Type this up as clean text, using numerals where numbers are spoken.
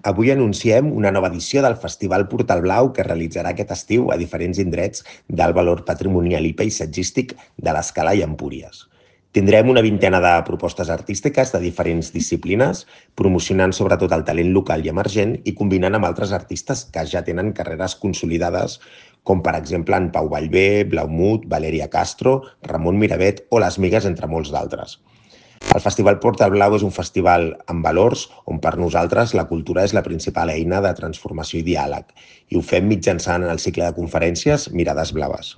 Avui anunciem una nova edició del Festival Portal Blau que es realitzarà aquest estiu a diferents indrets d'alt valor patrimonial i paisatgístic de l'Escala i Empúries. Tindrem una vintena de propostes artístiques de diferents disciplines, promocionant sobretot el talent local i emergent i combinant amb altres artistes que ja tenen carreres consolidades, com per exemple en Pau Vallvé, Blaumut, Valeria Castro, Ramon Miravet o Les Migues, entre molts d'altres. El Festival Portal Blau és un festival amb valors on per nosaltres la cultura és la principal eina de transformació i diàleg i ho fem mitjançant el cicle de conferències Mirades Blaves.